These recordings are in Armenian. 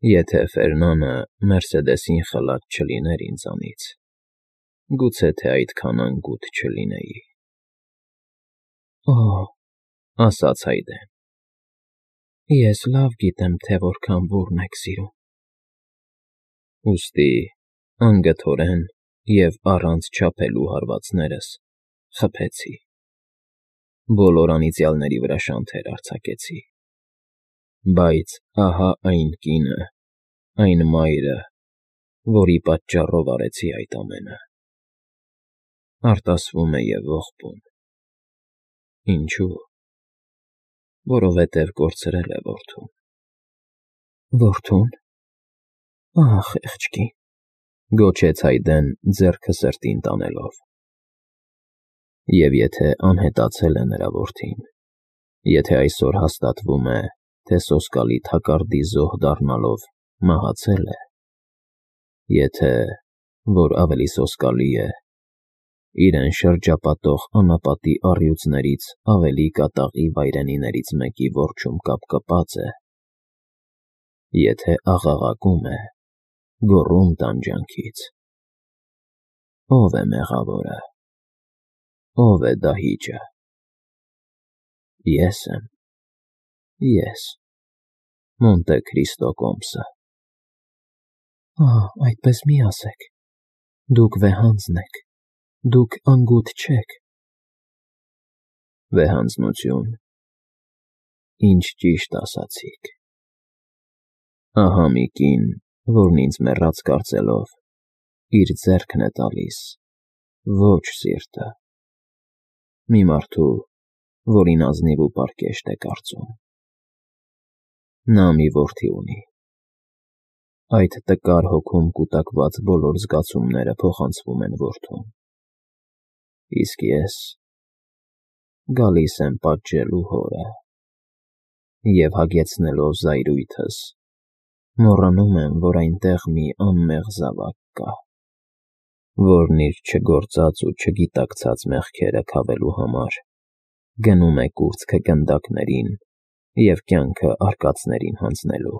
Եթե Ֆերնանը Մերսեդեսին խլած չլիներ ինձանից, գուցե թե այդքան անգութ չլինեի։ ֊ Օ՜, ասաց Հայդեն, ես լավ գիտեմ, թե որքան բուռն եք սիրում։ Ուստի անգթորեն և առանց չափելու հարվածներս խփեցի, բոլոր անիծյալների վրա շանթեր արձակեցի, բայց ահա այն կինը, այն մայրը, որի պատճառով արեցի այդ ամենը, արտասվում է և ողբուն։ Ինչո՞ւ։ Որովհետև կորցրել է որդուն։ Որդո՞ւն։ Ահ, խեղճ կին, գոչեց Հայդեն ձեռքը սրտին տանելով։ Եվ եթե անհետացել է նրա որդին, եթե այսօր հաստատվում է, թե սոսկալի թակարդի զոհ դառնալով մահացել է, եթե, որ ավելի սոսկալի է, իրեն շրջապատող անապատի առյուծներից ավելի կատաղի վայրենիներից մեկի որջում կապկպած է, եթե աղաղակում է, գոռում տանջանքից, ո՞վ է մեղավորը, ո՞վ է դահիճը։ Ես եմ, ես, Մոնտե Քրիստո կոմսը։ Ահ, այդպես մի ասեք, դուք վեհանձն եք, դուք անգութ չեք։ Վեհանձնություն, ինչ ճիշտ ասացիք։ Ահա մի կին, որն ինձ մեռած կարծելով, իր ձեռքն է տալիս, ոչ սիրտը, մի մարդու, որին ազնիվ ու պարկեշտ է կարծում։ Նա մի որդի ունի։ Այդ տկար հոգում կուտակված բոլոր զգացումները փոխանցվում են որդուն։ Իսկ ես գալիս եմ պատժելու հորը, և հագեցնելով զայրույթս, մոռանում եմ, որ այնտեղ մի անմեղ զավակ կա, որն իր չգործած ու չգիտակցած մեղքերը քավելու համար գնում է կուրծքը գնդակներին և կյանքը արկածներին հանձնելու։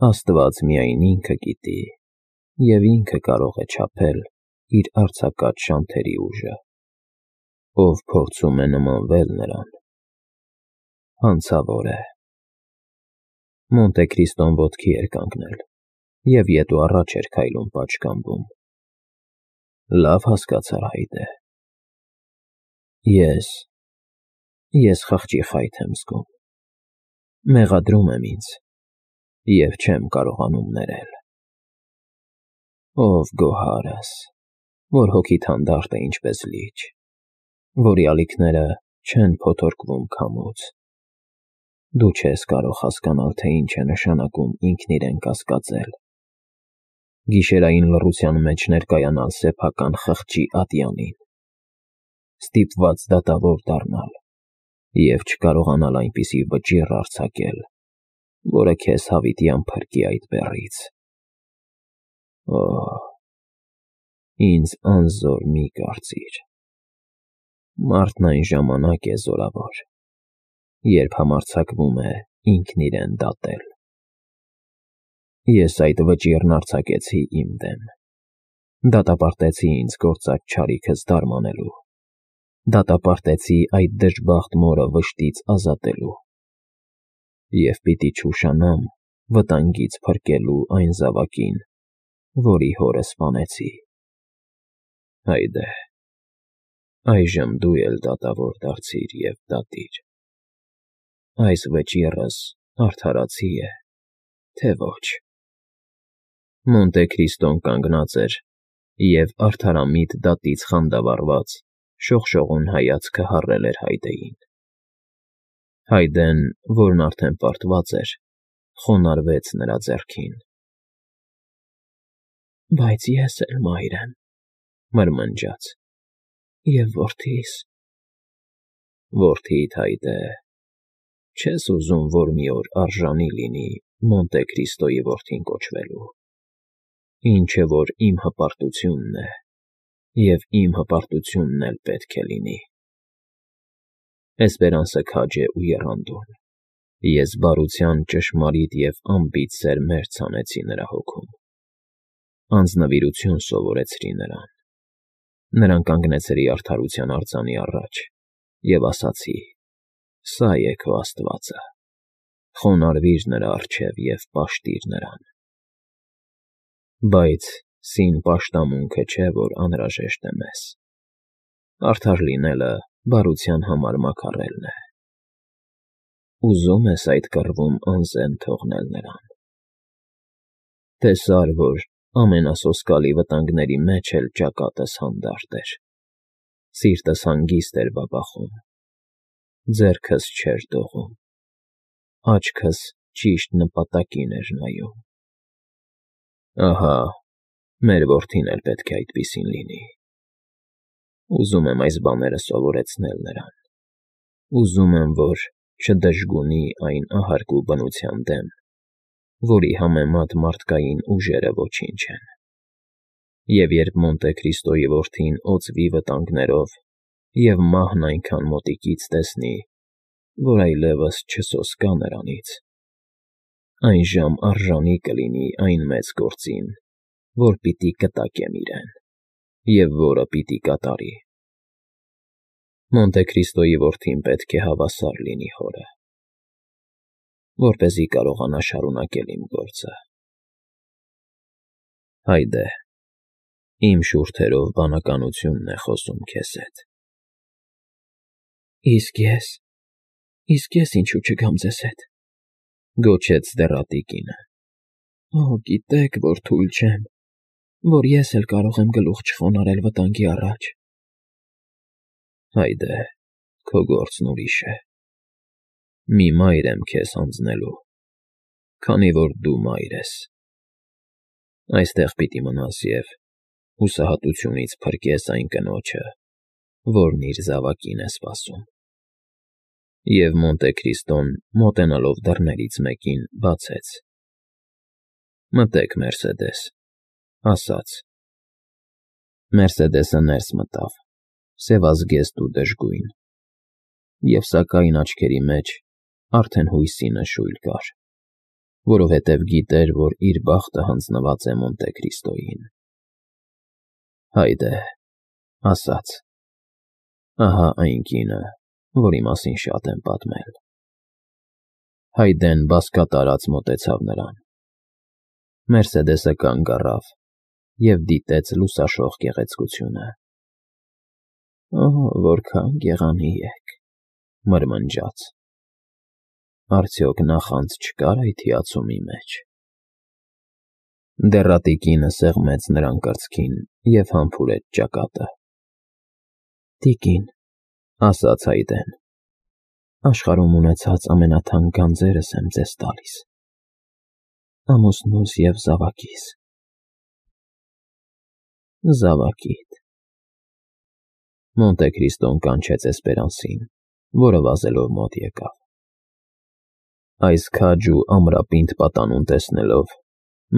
Աստված միայն ինքը գիտի և ինքը կարող է չափել իր արձակած շանթերի ուժը, ով փորձում է նմանվել նրան, հանցավոր է։ Մոնտե Քրիստոն ոտքի էր կանգնել և ետ ու առաջ էր քայլում պատշգամբում։ Լավ հասկացար Հայդը։ Ես խղճի խայթ եմ զգում, մեղադրում եմ ինձ և չեմ կարողանում ներել։ Ով գոհարս, որ հոգիդ հանդարտ է ինչպես լիճ, որի ալիքները չեն փոթորկվում քամուց։ Դու չես կարող հասկանալ, թե ինչ է նշանակում ինքն իրեն կասկածել, գիշերային լռության մեջ ներկայանալ սեփական խղճի ատյանին, ստիպված դատավոր դառնալ և չկարողանալ այնպիսի վճիռ արձակել, որը քեզ հավիտյան փրկի այդ բեռից։ Օ՜, ինձ անզոր մի կարծիր։ Մարդն այն ժամանակ է զորավոր, երբ համարձակվում է ինքն իրեն դատել։ Ես այդ վճիռն արձակեցի իմ դեմ, դատապարտեցի ինձ գործած չարիքս դարմանելու, դատապարտեցի այդ դժբախտ մորը վշտից ազատելու և պիտի չուշանամ վտանգից փրկելու այն զավակին, որի հորը սպանեցի։ Հայդե, այժմ դու էլ դատավոր դարձիր և դատիր։ Այս վճիռս արդարացի է, թե ոչ։ Մոնտե Քրիստոն կանգնած էր և արդարամիտ դատից խանդավառված շողշողուն հայացքը հառել էր Հայդեին։ Հայդեն, որն արդեն պարտված էր, խոնարհվեց նրա ձեռքին։ Բայց ես էլ մայր եմ, մրմնջաց, և որդիս։ Որդիդ, Հայդե, չե՞ս ուզում, որ մի օր արժանի լինի Մոնտե Քրիստոյի որդին կոչվելու, ինչը որ իմ հպարտությունն է, և իմ հպարտությունն էլ պետք է լինի։ Էսպերանսը քաջ է ու եռանդուն, Ես բարության ճշմարիտ և անբիծ սեր մերձ հանեցի նրա հոգում, անձնվիրություն սովորեցրի նրան, նրան կանգնեցրի արդարության արձանի առաջ և ասացի. «Սա է քո Աստվածը, խոնարհվիր նրա առջև և պաշտիր նրան»։ Բայց սին պաշտամունքը չէ, որ անհրաժեշտ է մեզ, արդար լինելը բարության համար մաքարելն է։ Ուզո՞ւմ ես այդ կռվում անզեն թողնել նրան։ Տեսա՞ր, որ ամենասոսկալի վտանգների մեջ էլ ճակատս հանդարտ էր, սիրտս հանգիստ էր բաբախում, ձեռքս չէր դողում, աչքս ճիշտ նպատակին էր նայում։ Ահա մեր որդին էլ պետք է այդպիսին լինի։ Ուզում եմ այս բաները սովորեցնել նրան, ուզում եմ, որ չդժգունի այն ահարկու բնության դեմ, որի համեմատ մարդկային ուժերը ոչինչ են։ Եվ երբ Մոնտե Քրիստոյի որդին օծվի վտանգներով և մահն այնքան մոտիկից տեսնի, որ այլևս չսոսկա նրանից, այնժամ արժանի կլինի այն մեծ գործին, որ պիտի կտակեմ իրեն և որը պիտի կատարի։ Մոնտե Քրիստոյի որդին պետք է հավասար լինի հորը, որպեսզի կարողանա շարունակել իմ գործը։ Հայդե, իմ շուրթերով բանականությունն է խոսում քեզ հետ։ Իսկ ես ինչու չգամ ձեզ հետ, գոչեց դեռատի կինը։ Օ, գիտեք, որ թույլ չեմ, որ ես էլ կարող եմ գլուխ չխոնարհել վտանգի առաջ։ Հայդե, քո գործն ուրիշ է։ Մի մայր եմ քեզ հանձնելու, քանի որ դու մայր ես։ Այստեղ պիտի մնաս և հուսահատությունից փրկես այն կնոջը, որն իր զավակին է սպասում։ Եվ Մոնտե Քրիստոն, մոտենալով դռներից մեկին, բացեց. «Մտեք, Մերսեդես», ասաց։ Մերսեդեսը ներս մտավ, սևազգեստ ու դժգույն, և սակայն աչքերի մեջ արդեն հույսի նշույլ կար, որովհետև գիտեր, որ իր բախտը հանձնված է Մոնտե Քրիստոյին։ Հայդե, ասաց. «Ահա այն կինը, որի մասին շատ եմ պատմել»։ Հայդեն բազկատարած մոտեցավ նրան։ Մերսեդեսը կանգ առավ և դիտեց լուսաշող գեղեցկությունը։ «Օ, որքան գեղանի եք», մրմնջաց։ Արդյոք նախանձ չկար այդ հիացումի մեջ։ Դեռատի կինը սեղմեց նրան կրծքին և համբուրեց ճակատը։ «Տիկին», ասաց Հայդեն, «աշխարհում ունեցած ամենաթանկ գանձերս եմ ձեզ տալիս, ամուսնուս և զավակիս»։ Զավակիդ։ Մոնտե Քրիստոն կանչեց Էսպերանսին, որը վազելով մոտ եկավ։ Այս քաջ ու ամրապինդ պատանուն տեսնելով,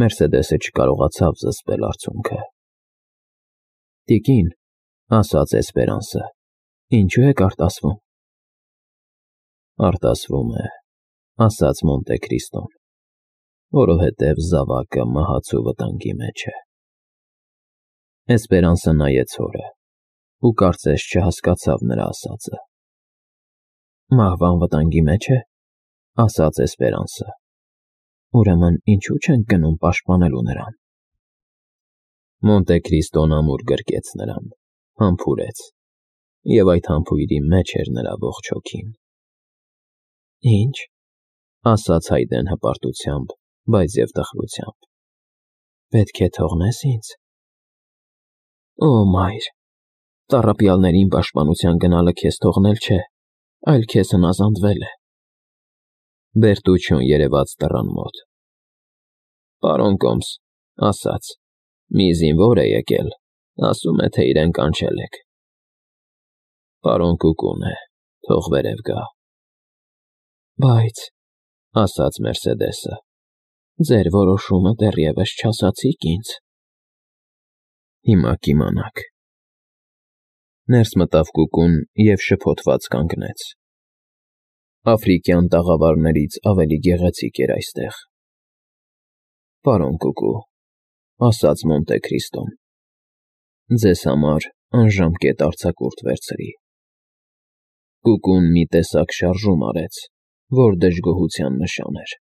Մերսեդեսը չկարողացավ զսպել արցունքը։ «Տիկին», ասաց Էսպերանսը, «ինչու եք արտասվում»։ Արտասվում է, ասաց Մոնտե Քրիստոն, որովհետև զավակը մահացու վտանգի մեջ է։ Էսպերանսը նայեց հորը ու կարծես չհասկացավ նրա ասածը։ Մահվան վտանգի մեջ է, ասաց Էսպերանսը, ուրեմն ինչու չենք գնում պաշտպանելու նրան։ Մոնտե Քրիստոն ամուր գրկեց նրան, համբուրեց, և այդ համբույրի մեջ էր նրա ողջ հոգին։ Ինչ, ասաց Հայդեն հպարտությամբ, բայց և տխրությամբ, պետք է թողնես ինձ։ Օ, մայր, տառապյալներին պաշտպանության գնալը քեզ թողնել չէ, այլ քեզ հնազանդվել է։ Բերտուչոն երևաց դռան մոտ։ Պարոն Կոմս, ասաց, մի զինվոր է եկել, ասում է, թե իրեն կանչել եք։ Պարոն Կուկուն է, թող վերև գա։ Բայց, ասաց Մերսեդեսը, ձեր որոշումը դեռևս չասացիք ինձ։ Հիմա կիմանաք։ Ներս մտավ Կուկուն և շփոթված կանգնեց։ Աֆրիկյան տաղավարներից ավելի գեղեցիկ էր այստեղ։ Պարոն Կուկու, ասաց Մոնտե Քրիստոն, ձեզ համար անժամկետ արձակուրդ վերցրի։ Կուկուն մի տեսակ շարժում արեց, որ դժգոհության նշան էր։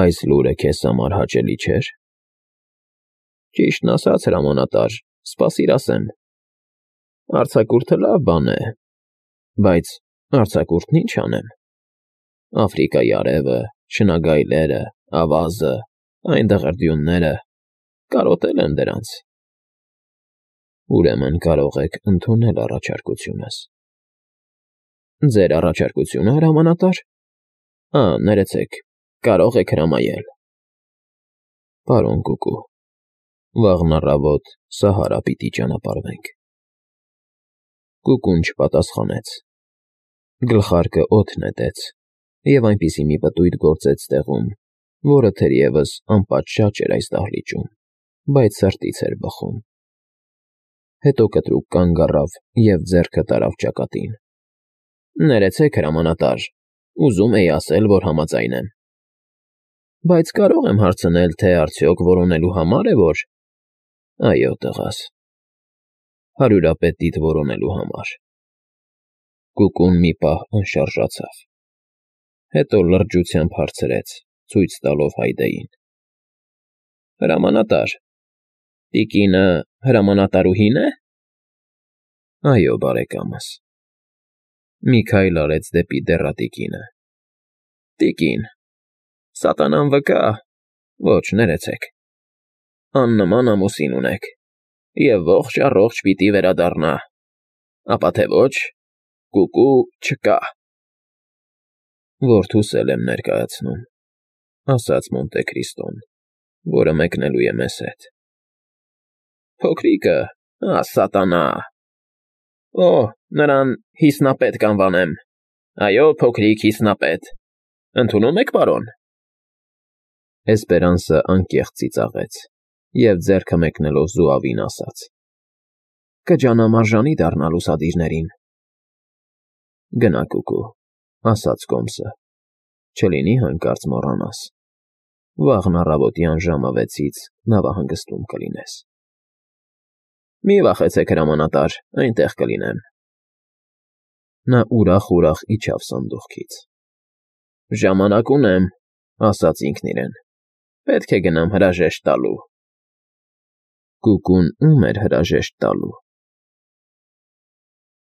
Այս լուրը քեզ համար հաճելի չէր։ Ճիշտն ասած, հրամանատար, սպասիր ասեմ։ Արձակուրդը լավ բան է, բայց արձակուրդն ինչ անեմ։ Աֆրիկայի արևը, շնագայլերը, ավազը, այն դղրդյունները, կարոտել եմ դրանց։ Ուրեմն կարող եք ընդունել առաջարկությունս։ Ձեր առաջարկությունը, հրամանատար։ Ներեցեք, կարող եք հրամայել։ Պարոն Կուկու, վաղն առավոտ Սահարա պիտի ճանապարհվենք։ Կուկուն չպատասխանեց։ Գլխարկը օդ նետեց և այնպիսի մի պտույտ գործեց տեղում, որը թերևս անպատշաճ էր այս դահլիճում, բայց սրտից էր բխում։ Հետո կտրուկ կանգ առավ և ձեռքը տարավ ճակատին։ Ներեցեք, հրամանատար, ուզում էի ասել, որ համաձայն եմ։ Բայց կարող եմ հարցնել, թե արդյոք որոնելու համար է, որ… Այո, տղաս, հարյուրապետիդ որոնելու համար։ Կուկուն մի պահ անշարժացավ։ Հետո լրջությամբ հարցրեց, ցույց տալով Հայդեին. Հրամանատար, տիկինը հրամանատարուհի՞ն է։ Այո, բարեկամս։ Մի քայլ արեց դեպի դեռատիկինը։ Տիկին, սատանան վկա, ոչ, ներեցեք, աննման ամուսին ունեք, և ողջ առողջ պիտի վերադառնա, ապա թե ոչ, Կուկու չկա։ Որդուս էլ եմ ներկայացնում, ասաց Մոնտե Քրիստոն, որը մեկնելու է մեզ հետ։ Փոքրիկը, սատանա… Նրան հիսնապետ կանվանեմ։ Այո, փոքրիկ հիսնապետ։ Ընդունում եք, պարոն։ Էսպերանսը անկեղծ ծիծաղեց և ձեռքը մեկնելով զուավին ասաց. Կջանամ արժանի դառնալ ուսադիրներին։ Գնա, Կուկու, ասաց Կոմսը, չլինի հանկարծ մոռանաս։ Վաղն առավոտյան ժամը 6-ից նավահանգստում կլինես։ Մի վախեցեք, հրամանատար, այնտեղ կլինեմ։ Նա ուրախ իջավ սանդուղքից։ Ժամանակ ունեմ, ասաց ինքն իրեն, պետք է գնամ հրաժեշտ տալու։ Կուկուն ում էր հրաժեշտ տալու։